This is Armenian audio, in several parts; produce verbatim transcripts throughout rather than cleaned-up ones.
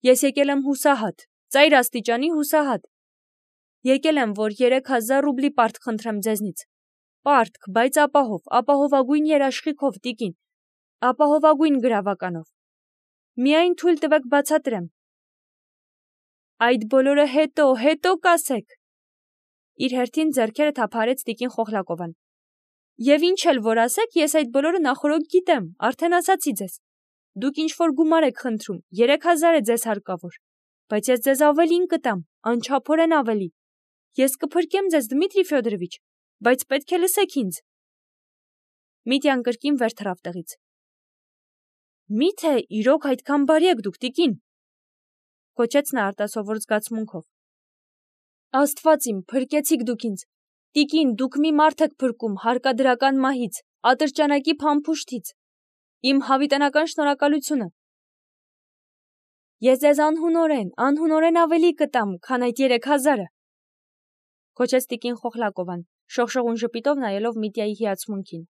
Ես եկել եմ հուսահատ, ծայր աստիճանի հուսահատ։ Եկել եմ, որ երեք հազար ռուբլի պարտք խնդրեմ ձեզնից։ Պարտք, բայց ապահով, ապահովագույն երաշխիքով, տիկին, ապահովագույն գրավականով։ Միայն թույլ տվեք բացատրեմ։ Այդ բոլորը հետո, հետո կասեք։ Իր հերթին ձեռքերը թափարեց տիկին Խոխլակովան։ Եվ ինչ էլ որ ասեք, ես այդ բոլորը նախորոք գիտեմ, արդեն ասացի ձեզ։ Դուք ինչ-որ գումար եք խնդրում, երեք հազար է ձեզ հարկավոր, բայց ես ձեզ ավելին կտամ, անչափորեն ավելի։ Ես կփրկեմ ձեզ, Դմիտրի Ֆյոդորովիչ, բայց պետք է լսեք ինձ։ Միտյան կրկին վեր թռավ տեղից։ Միթե իրոք այդքան բարի եք դուք, տիկին, կոչեց նա արտասովոր զգացմունքով։ Աստված իմ, փրկեցիք դուք ինձ։ Տիկին, դուք մի մարդ եք փրկում հարկադրական մահից, ատրճանակի փամփուշտից։ Իմ հավիտենական շնորհակալությունը։ Ես ձեզ անհունորեն, անհունորեն ավելի կտամ, քան այդ երեք հազարը, կոչեց տիկին Խոխլակովան, շողշողուն ժպիտով նայելով Միտյայի հիացմունքին։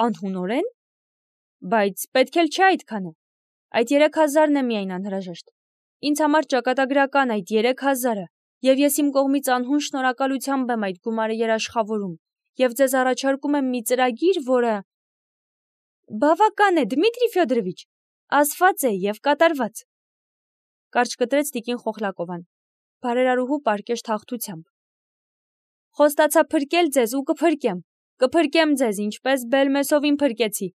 Անհունորեն։ Բայց պետք էլ չէ այդքանը։ Այդ երեք հազարն է միայն անհրաժեշտ։ Ինձ համար ճակատագրական այդ երեք հազարը, եւ ես իմ կողմից անհուն շնորհակալությամբ եմ այդ գումարը երաշխավորում, եւ ձեզ առաջարկում եմ մի ծրագիր, որը… Բավական է, Դմիտրի Ֆյոդորովիչ, ասված է եւ կատարված, կարճ կտրեց տիկին Խոխլակովան, բարերարուհու պարկեշտ հաղթությամբ։ Խոստացա փրկել ձեզ ու կփրկեմ, կփրկեմ ձեզ, ինչպես Բելմեսովին փրկեցի։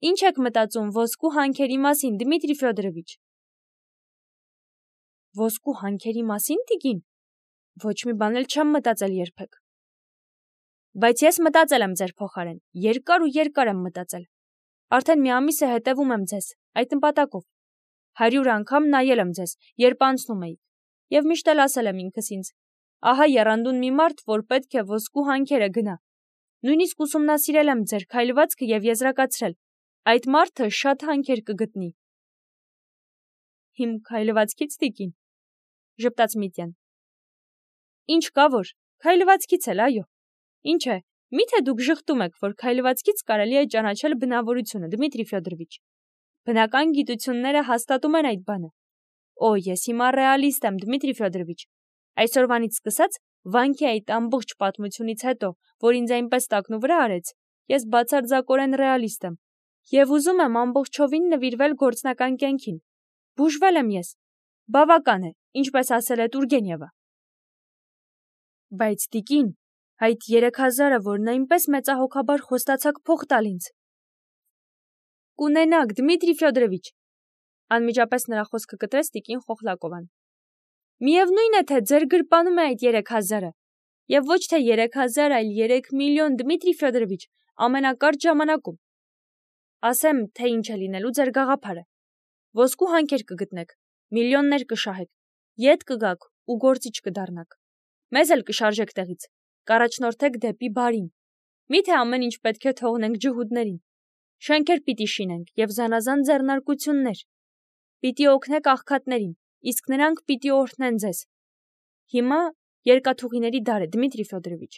Ինչ եք մտածում ոսկու հանքերի մասին, Դմիտրի Ֆյոդորովիչ։ Ոսկու հանքերի մասին, տիկին։ Ոչ մի բան էլ չեմ մտածել երբեք։ Բայց ես մտածել եմ ձեր փոխարեն, երկար ու երկար եմ մտածել։ Արդեն մի ամիս է հետևում եմ ձեզ, այդ նպատակով։ Հարյուր անգամ նայել եմ ձեզ, երբ անցնում էիք, եւ միշտ էլ ասել եմ ինքս ինձ. ահա եռանդուն մի մարդ, որ պետք է ոսկու հանքերը գնա։ Նույնիսկ ուսումնասիրել եմ ձեր քայլվածքը եւ եզրակացրել. այդ մարդը շատ հանքեր կգտնի։ Իմ քայլվածքից, տիկին, ժպտաց Միտյան։ Ինչ կա որ, քայլվածքից էլ, այո։ Ինչ է, միթե դուք ժխտում եք, որ քայլվածքից կարելի է ճանաչել բնավորությունը, Դմիտրի Ֆյոդորովիչ։ Բնական գիտությունները հաստատում են այդ բանը։ Օ, ես հիմա ռեալիստ եմ, Դմիտրի Ֆյոդորովիչ։ Այսօրվանից սկսած, վանքի այդ ամբողջ պատմությունից հետո, որ ինձ այնպես տակնու վրա արեց, ես բացարձակորեն ռեալիստ եմ եւ ուզում եմ ամբողջովին նվիրվել գործնական կյանքին։ Բուժվել եմ ես։ Բավական է, ինչպես ասել է Տուրգենևը։ Բայց տիկին, այդ երեք հազարը, որն այնպես մեծահոգաբար խոստացաք փող տալ ինձ։ Կունենաք, Դմիտրի Ֆյոդորովիչ, անմիջապես նրա խոսքը կտրեց տիկին Խոխլակովան։ Միևնույն է, թե ձեր գրպանում է այդ երեք հազարը, եւ ոչ թե երեք հազար, այլ երեք միլիոն, Դմիտրի Ֆյոդորովիչ, ամենակարճ ժամանակում։ Ասեմ, թե ինչ է լինելու ձեր գաղափարը։ Ոսկու հանքեր կգտնեք, միլիոններ կշահեք, ետ կգաք ու գործիչ կդառնաք։ Մեզ էլ կշարժեք տեղից, կառաջնորդեք դեպի բարին։ Միթե ամեն ինչ պետք է թողնենք ջհուդներին։ Շենքեր պիտի շինենք եւ զանազան ձեռնարկություններ։ Պիտի օգնեք աղքատներին, իսկ նրանք պիտի օրհնեն ձեզ։ Հիմա երկաթուղիների դար է, Դմիտրի Ֆյոդորովիչ։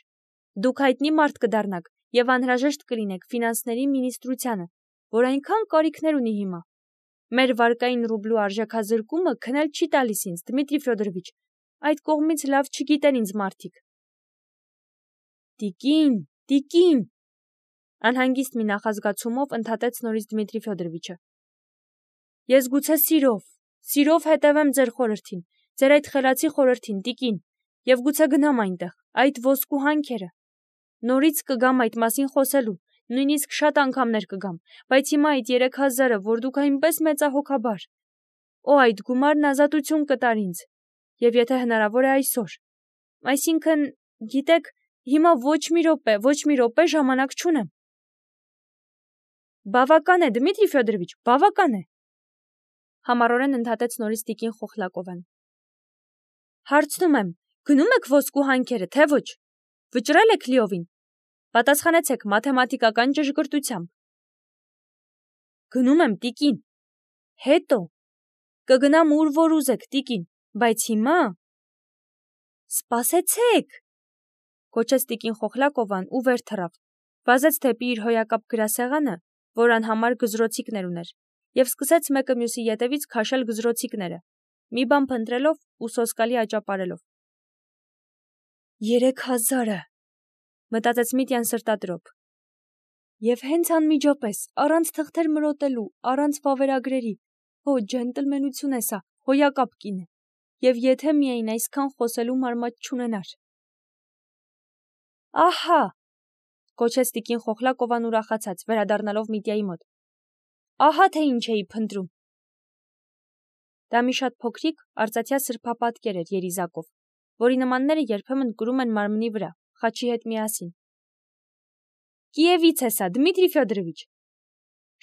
Դուք հայտնի մարդ կդառնաք եւ անհրաժեշտ կլինեք ֆինանսների մինիստրությանը, որ այնքան կարիքներ ունի հիմա։ Մեր վարկային ռուբլու արժեքազրկումը քնել չի տալիս ինձ, Դմիտրի Ֆյոդորովիչ, այդ կողմից լավ չգիտեն ինձ մարդիկ։ Տիկին, տիկին, անհանգիստ մի նախազգացումով ընդհատեց նորից Դմիտրի Ֆյոդորովիչը։ Ես գուցե սիրով, սիրով հետևեմ ձեր խորհրդին, ձեր այդ խելացի խորհրդին, տիկին, եւ գուցե գնամ այնտեղ, այդ ոսկու հանքերը։ Նորից կգամ այդ մասին խոսելու, նույնիսկ շատ անգամներ կգամ, բայց հիմա այդ երեք հազարը, որ դուք այնպես մեծահոգաբար։ Օ, այդ գումարն ազատություն կտար ինձ, եւ եթե հնարավոր է այսօր։ Այսինքն, գիտեք, հիմա ոչ մի րոպե, ոչ մի րոպե ժամանակ չունեմ։ Բավական է, Դմիտրի Ֆյոդորովիչ, բավական է, համառորեն ընդհատեց նորից տիկին Խոխլակովան։ Հարցնում եմ, գնում եք ոսկու հանքերը, թե ոչ։ Վճռել եք լիովին։ Պատասխանեցեք մաթեմատիկական ճշգրտությամբ։ Գնում եմ, տիկին։ Հետո կգնամ ուր որ ուզեք, տիկին, բայց հիմա… Սպասեցեք, կոչեց տիկին Խոխլակովան ու վեր թռավ, վազեց դեպի իր հոյակապ գրասեղանը, որ անհամար գզրոցիկներ ուներ, եւ սկսեց մեկը մյուսի ետևից քաշել գզրոցիկները, մի բան փնտրելով ու սոսկալի աճապարելով։ Երեք հազարը, մտածեց Միտյան սրտադրոփ։ Եվ հենց անմիջապես, առանց թղթեր մրոտելու, առանց վավերագրերի, հո ջենտլմենություն է սա, հոյակապ կին է, եւ եթե միայն այսքան խոսելու մարմատ չունենար։ Ահա, կոչեց տիկին Խոխլակովան ուրախացած, վերադառնալով Միտյայի մոտ։ Ահա թե ինչ էի փնտրում։ Դա մի շատ փոքրիկ արծաթյա սրբապատկեր էր երիզակով, որի նմանները երբեմն կրում են մարմնի վրա, խաչի հետ միասին։ Կիևից է սա, Դմիտրի Ֆյոդորովիչ,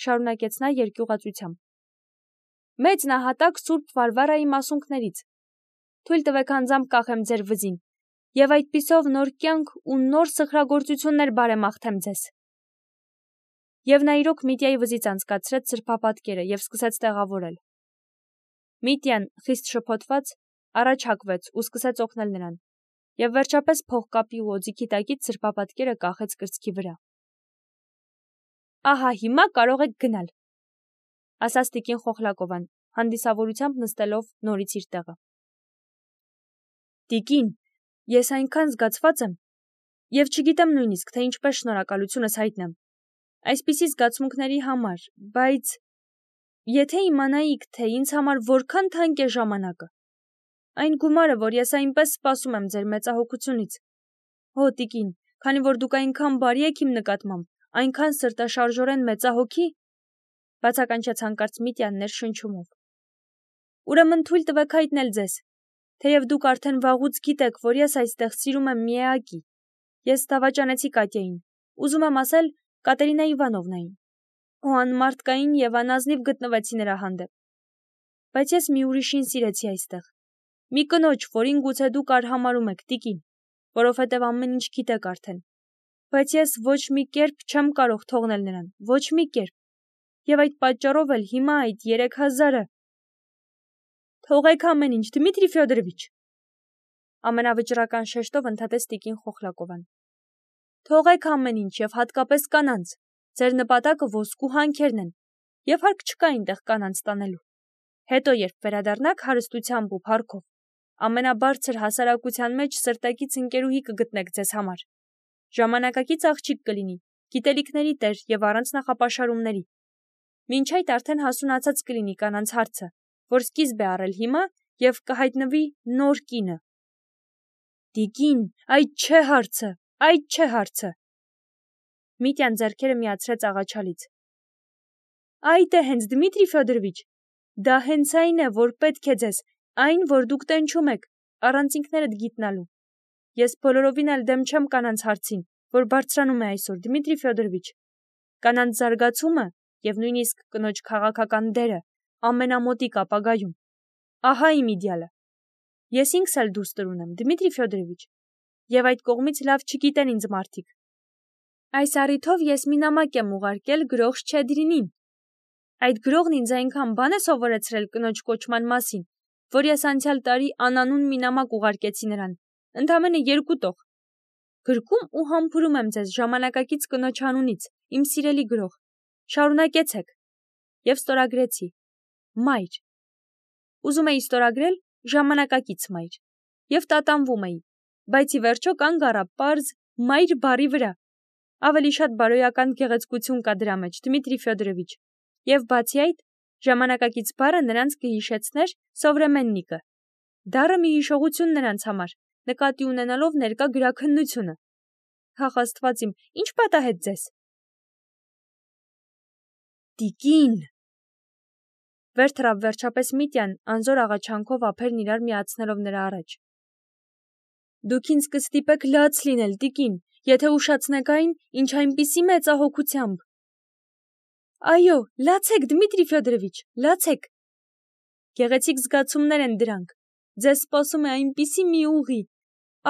շարունակեց նա երկյուղածությամբ։ Մեծ նահատակ Սուրբ Վարվարայի մասունքներից։ Թույլ տվեք անձամբ կախեմ ձեր վզին, եւ այդպիսով նոր կյանք ու նոր սխրագործություններ բարեմաղթեմ ձեզ։ Եվ նա իրոք Միտյայի վզից անցկացրեց սրբապատկերը եւ սկսեց տեղավորել։ Միտյան, խիստ շփոթված, առաջ հակվեց ու սկսեց օգնել նրան, եւ վերջապես փողկապի ու օձիքի տակից սրբապատկերը կախեց կրծքի վրա։ Ահա հիմա կարող եք գնալ, ասաց տիկին Խոխլակովան, հանդիսավորությամբ նստելով նորից իր տեղը։ Տիկին, ես այնքան զգացված եմ, եւ չգիտեմ նույնիսկ, թե ինչպես շնորհակալությունս հայտնեմ այսպիսի զգացմունքների համար, բայց եթե իմանայիք, թե ինձ համար որքան թանկ է ժամանակը, այն գումարը, որ ես այնպես սպասում եմ ձեր մեծահոգությունից, հո տիկին, քանի որ դուք այնքան բարի եք իմ նկատմամբ, այնքան սրտաշարժորեն մեծահոգի, բացականչեց հանկարծ Միտյան ներշնչումով։ Ուրեմն թույլ տվեք հայտնել ձեզ, թեև դուք արդեն վաղուց գիտեք, որ ես այստեղ սիրում եմ մի էակի, ես դավաճանեցի Կատյային, ուզում եմ ասել Կատերինա Իվանովնային, ու անմարդկային եւ անազնիվ գտնվեցի նրա հանդեպ, բայց ես մի ուրիշին սիրեցի այստեղ, մի կնոջ, որին գուցե դուք արհամարհում եք, տիկին, որովհետեւ ամեն ինչ գիտեք արդեն, բայց ես ոչ մի կերպ չեմ կարող թողնել նրան, ոչ մի կերպ, եւ այդ պատճառով էլ հիմա այդ երեք հազարը… Թողեք ամեն ինչ, Դմիտրի Ֆյոդորովիչ, ամենավճռական շեշտով ընդհատեց տիկին Խոխլակովան։ Թողեք ամեն ինչ եւ հատկապես կանանց, ձեր նպատակը ոսկու հանքերն են, եւ հարկ չկա այնտեղ կանանց տանելու։ Հետո երբ վերադառնաք հարստությամբ ու փառքով, ամենաբարձր հասարակության մեջ սրտակից ընկերուհի կգտնեք ձեզ համար։ Ժամանակակից աղջիկ կլինի, գիտելիքների տեր եւ առանց նախապաշարումների։ Մինչ այդ արդեն հասունացած կլինի կանանց հարցը, որ սկիզբ է առել հիմա եւ կհայտնվի նոր կինը։ Տիկին, այդ չէ հարցը, այդ չէ հարցը։ Միտյան ձեռքերը միացրեց աղաչալից։ Այդ է հենց Դմիտրի Ֆյոդորովիչ, դա հենց այն է, որ պետք է ձեզ, այն, որ դուք տենչում եք, առանց ինքներդ գիտնալու։ Ես բոլորովին էլ դեմ չեմ կանանց հարցին, որ բարձրանում է այսօր, Դմիտրի Ֆյոդորովիչ։ Կանանց զարգացումը եւ նույնիսկ կնոջ քաղաքական դերը ամենամոտիկ ապագայում։ Ահա իմ իդեալը։ Ես ինքս էլ դուստր ունեմ, Դմիտրի Ֆյոդորովիչ, եւ այդ կողմից լավ չգիտեն ինձ մարդիկ։ Այս առիթով ես մի նամակ եմ ուղարկել գրող Շչեդրինին։ Այդ գրողն ինձ այնքան բան է սովորեցրել կնոջ կոչման մասին, որ ես անցյալ տարի անանուն մի նամակ ուղարկեցի նրան, ընդամենը երկու տող։ Գրկում ու համբուրում եմ ձեզ ժամանակակից կնոջ անունից, իմ սիրելի գրող։ Շարունակեցեք։ Եվ ստորագրեցի. Մայր։ Ուզում էի ստորագրել ժամանակակից մայր։ Եվ տատանվում էի, բայց ի վերջո կանգ առա պարզ մայր բառի վրա։ Ավելի շատ բարոյական գեղեցկություն կա դրա մեջ, Դմիտրի Ֆյոդորովիչ։ Եվ բացի այդ, ժամանակակից բառը նրանց կհիշեցներ սովրեմեննիկը։ Դառը մի հիշողություն նրանց համար, նկատի ունենալով ներկա գրաքննությունը։ Հախ Աստված իմ, ինչ պատահեց ձեզ։ Տիկին։ Վեր թռավ վերջապես Միտյան, անզոր աղաչանքով ափերն իրար միացնելով նրա առաջ։ Դուք ինձ կստիպեք լաց լինել, տիկին, եթե ուշացնեք այն, ինչ այնպիսի մեծահոգությամբ։ Այո, լացեք, Դմիտրի Ֆյոդորովիչ, լացեք։ Գեղեցիկ զգացումներ են դրանք։ Ձեզ սպասում է այնպիսի մի ուղի։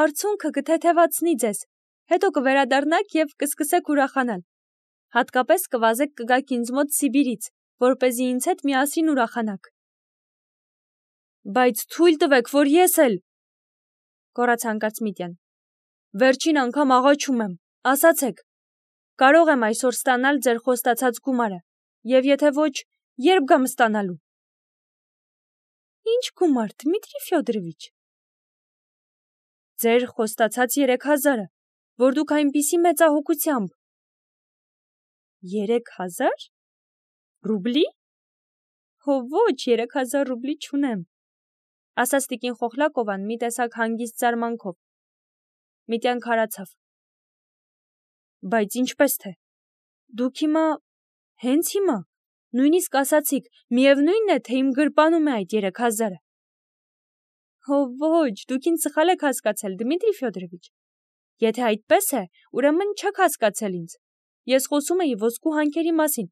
Արցունքը կթեթևացնի ձեզ, հետո կվերադառնաք եւ կսկսեք ուրախանալ։ Հատկապես կվազեք կգաք ինձ մոտ Սիբիրից, որպեսզի ինձ հետ միասին ուրախանաք։ Բայց թույլ տվեք, որ ես էլ… Գոռաց հանկարծ Միտյան։ Վերջին անգամ աղաչում եմ, ասացեք, կարող եմ այսօր ստանալ ձեր խոստացած գումարը, եւ եթե ոչ, Երբ գամ ստանալու։ Ինչ գումար, Դմիտրի Ֆյոդորովիչ։ Ձեր խոստացած երեք հազարը, որ դուք այնպիսի մեծահոգությամբ։ Երեք հազար։ Ռուբլի։ Հո ոչ, երեք հազար ռուբլի չունեմ, ասաց տիկին Խոխլակովան մի տեսակ հանգիստ զարմանքով։ Միտյան քարացավ։ Բայց ինչպես թե։ Դուք հիմա, հենց հիմա, նույնիսկ ասացիք, միևնույն է, թե իմ գրպանում է այդ երեք հազարը։ Հո ոչ, դուք ինձ սխալ եք հասկացել, Դմիտրի Ֆյոդորովիչ։ Եթե այդպես է, ուրեմն չեք հասկացել ինձ։ Ես խոսում էի ոսկու հանքերի մասին։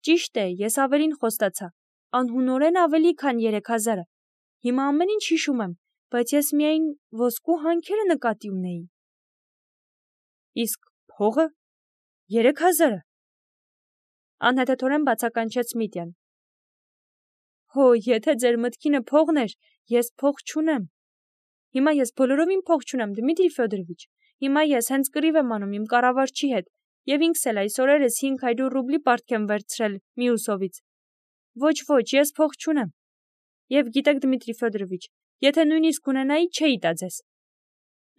Ճիշտ է, ես ավելին խոստացա, անհունորեն ավելի, քան երեք հազարը։ Հիմա ամեն ինչ հիշում եմ, բայց ես միայն ոսկու հանքերը նկատի ունեի։ Իսկ փողը, երեք հազարը։ Անհետեթորեն բացականչեց Միտյան։ Հո, եթե ձեր մտքինը փողն էր, ես փող չունեմ։ Հիմա ես բոլորովին փող չունեմ, Դմիտրի Ֆյոդորովիչ։ Հիմա ես հենց կռիվ եմ անում իմ կառավարչի հետ, եւ ինքս էլ այս օրերս հինգ հարյուր ռուբլի պարտք եմ վերցրել Միուսովից։ Ոչ, ոչ, ես փող չունեմ։ Եվ գիտեք, Դմիտրի Ֆյոդորովիչ, եթե նույնիսկ ունենայի, չէի տա ձեզ։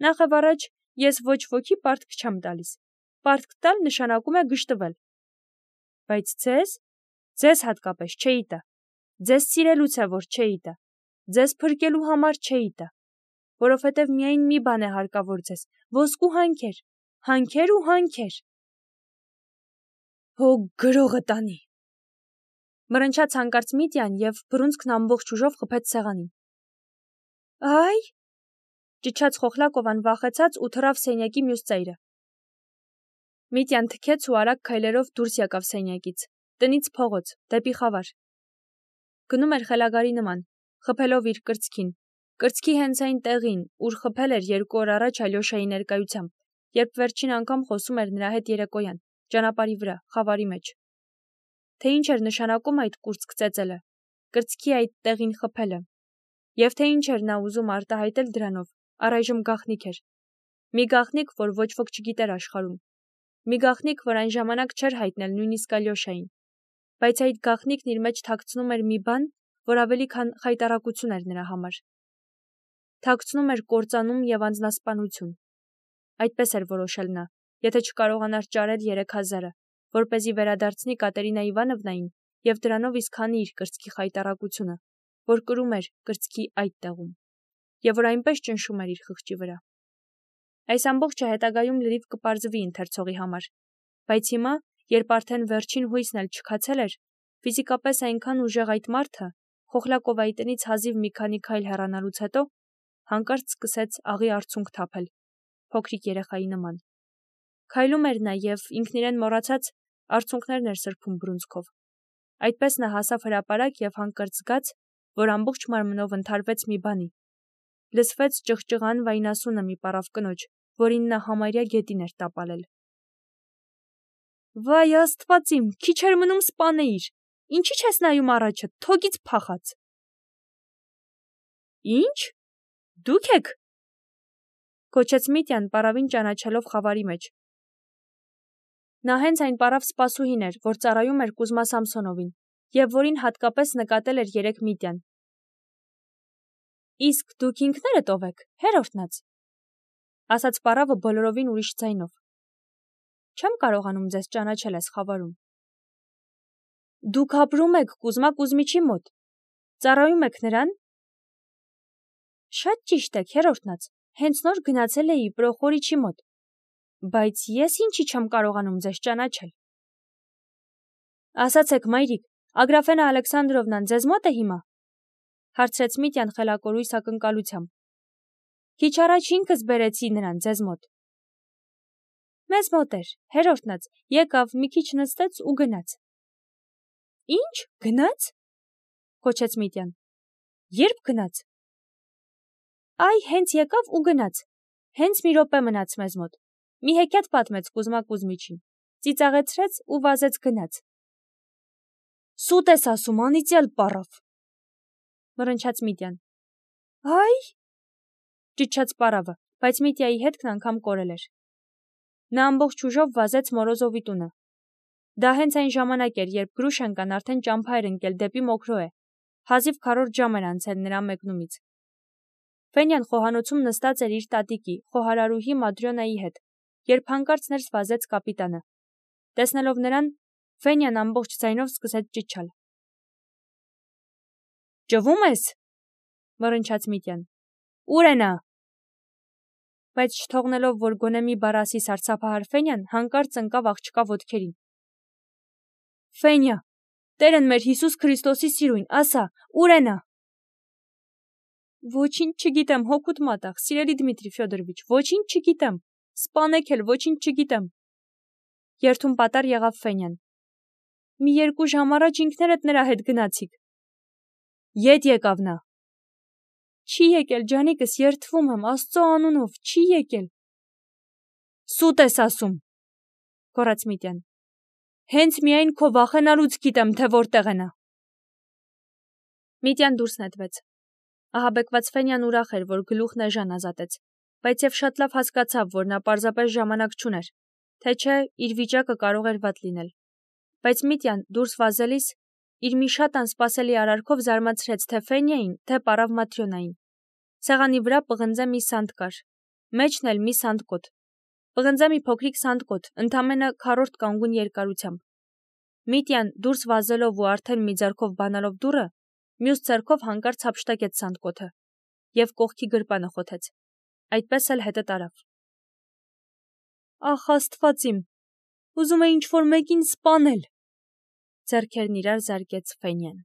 Նախ առաջ ես ոչ ոքի պարտք չեմ տալիս։ Պարտք տալ նշանակում է գժտվել։ Բայց ձեզ, ձեզ հատկապես չէի տա։ Ձեզ սիրելուց է, որ չէի տա։ Ձեզ փրկելու համար չէի տա։ Որովհետև միայն մի բան է հարկավոր ձեզ՝ ոսկու հանքեր, հանքեր ու հանքեր։ Հո գրողը տանի։ Մռնչաց հանկարծ Միտյան եւ բռունցքն ամբողջ ուժով խփեց սեղանին։ Այ, ճիչաց Խոխլակովան վախեցած ու թռավ սենյակի մյուս ծայրը։ Միտյան թքեց ու արագ քայլերով դուրս եկավ սենյակից, տնից փողոց, դեպի խավար։ Գնում էր խելագարի նման, խփելով իր կրծքին, կրծքի հենց այն տեղին, ուր խփել էր երկու օր առաջ Ալյոշայի ներկայությամբ, երբ վերջին անգամ խոսում էր նրա հետ երեկոյան, ճանապարհի վրա, խավարի մեջ։ Թե ինչ էր նշանակում այդ կուրծք ծեծելը, կրծքի այդ տեղին խփելը, եւ թե ինչ էր նա ուզում արտահայտել դրանով, առայժմ գաղտնիք էր։ Մի գաղտնիք, որ ոչ ոք չգիտեր աշխարհում։ Մի գաղտնիք, որ այն ժամանակ չէր հայտնել նույնիսկ Ալյոշային։ Բայց այդ գաղտնիքն իր մեջ թաքցնում էր մի բան, որ ավելի քան խայտառակություն էր նրա համար։ Թաքցնում էր կործանում եւ անձնասպանություն։ Այդպես էր որոշել նա, եթե չկարողանար ճարել երեք հազարը, որպեսզի վերադարձնի Կատերինա Իվանովնային եւ դրանով իսկ հանի իր կրծքի խայտառակությունը, որ կրում էր կրծքի այդ տեղում, եւ որ այնպես ճնշում էր իր խղճի վրա։ Այս ամբողջը հետագայում լրիվ կպարզվի ընթերցողի համար, բայց հիմա, երբ արդեն վերջին հույսն էլ չքացել էր, ֆիզիկապես այնքան ուժեղ այդ մարդը, Խոխլակովայի տնից հազիվ մի քանի քայլ հեռանալուց հետո, հանկարծ սկսեց աղի արցունք թափել, փոքրիկ երեխայի նման։ Քայլում էր նա եւ ինքն իրեն մոռացած արցունքներն էր սրբում բռունցքով։ Այդպես նա հասավ հրապարակ եւ հանկարծ զգաց, որ ամբողջ մարմնով ընդհարվեց մի բանի։ Լսվեց ճղճղան վայնասունը մի պարավ կնոջ, որին նա համարյա գետին էր տապալել։ Վայ Աստված իմ, քիչ էր մնում սպանեիր։ Ինչի՞ չես նայում առաջը, թոգից փախած։ Ինչ։ Դուք եք։ Կոչեց Միտյան պարավին ճանաչելով խավարի մեջ։ Նա հենց այն պարավ սպասուհին էր, որ ծառայում էր Կուզմա Սամսոնովին, եւ որին հատկապես նկատել էր երեք Միտյան։ Իսկ դուք ինքներդ ով եք, հերորդնաց, ասաց պարավը բոլորովին ուրիշ ձայնով։ Չեմ կարողանում ձեզ ճանաչել այս խավարում։ Դուք ապրում եք Կուզմա Կուզմիչի մոտ, ծառայում եք նրան։ Շատ ճիշտ եք, հերորդնաց, հենց նոր գնացել էի Պրոխորիչի մոտ, բայց ես ինչի չեմ կարողանում ձեզ ճանաչել։ Ասացեք, մայրիկ, Ագրաֆենա Ալեքսանդրովնան ձեզ մոտ է հիմա։ Հարցրեց Միտյան խելակորույս ակնկալությամբ։ Քիչ առաջ ինքս բերեցի նրան ձեզ մոտ։ Մեզ մոտ էր, հերորդնաց, եկավ, մի քիչ նստեց ու գնաց։ Ինչ, գնաց։ Կոչեց Միտյան։ Երբ գնաց։ Այ հենց եկավ ու գնաց։ Հենց մի րոպե մնաց մեզ մոտ։ Մի հեքիաթ պատմեց Կուզմա Կուզմիչին, ծիծաղեցրեց ու վազեց գնաց։ Սուտ ես ասում, անիծյալ պարավ։ Մռնչաց Միտյան։ Այ, ճիչաց պարավը, բայց Միտյայի հետքն անգամ կորել էր։ Նա ամբողջ ուժով վազեց Մորոզովի տունը։ Դա հենց այն ժամանակ էր, երբ Գրուշենկան արդեն ճամփա էր ընկել դեպի Մոքրոե, հազիվ քառորդ ժամ էր անցել նրա մեկնումից։ Ֆենյան խոհանոցում նստած էր իր տատիկի, խոհարարուհի Մադրյոնայի հետ, երբ հանկարծ ներս վազեց կապիտանը։ Տեսնելով նրան, Ֆենյան ամբողջ ձայնով սկսեց ճիչալ։ «Ճվում ես», մռնչաց Միտյան։ «Ուր է նա»։ Բայց չթողնելով, որ գոնե մի բառ ասի սարսափահար Ֆենյան, հանկարծ ընկավ աղջկա ոտքերին։ «Ֆենյա, Տերն մեր Հիսուս Քրիստոսի սիրուն, ասա, ուր է նա»։ Ոչինչ չգիտեմ, հոգուտ մատաղ, սիրելի Դմիտրի Ֆյոդորովիչ, ոչինչ չգիտեմ, սպանեք էլ, ոչինչ չգիտեմ։ Երթում պատառ եղավ Ֆենյան։ Մի երկու ժամ առաջ ինքներդ նրա հետ գնացիք։ Ետ եկավ նա։ Չի եկել, ջանիկս, երդվում եմ, Աստծո անունով, չի եկել։ Սուտ ես ասում, գոռաց Միտյան։ Հենց միայն քո վախենալուց գիտեմ, թե որտեղ է նա։ Միտյան դուրս նետվեց։ Ահաբեկված Ֆենյան ուրախ էր, որ գլուխն էժան ազատեց, բայց եւ շատ լավ հասկացավ, որ նա պարզապես ժամանակ չուներ, թե չէ իր վիճակը կարող էր վատ լինել։ Բայց Միտյան դուրս վազելիս իր մի շատ անսպասելի արարքով զարմացրեց թե Ֆենյային, թե պարավ Մատրյոնային։ Սեղանի վրա պղնձե մի սանդ կար, մեջն էլ մի սանդկոտ։ Պղնձե մի փոքրիկ սանդկոտ, ընդամենը քառորդ կանգուն երկարությամբ։ Միտյան դուրս վազելով ու արդեն մի ձեռքով բանալով դուռը, մյուս ձեռքով հանկարծ հափշտակեց սանդկոթը եւ կողքի գրպանը խոթեց։ Այդպես էլ հետը տարավ։ Ախ, Աստված իմ, ուզում է ինչ-որ մեկին սպանել, ձեռքերն իրար զարկեց Ֆենյան։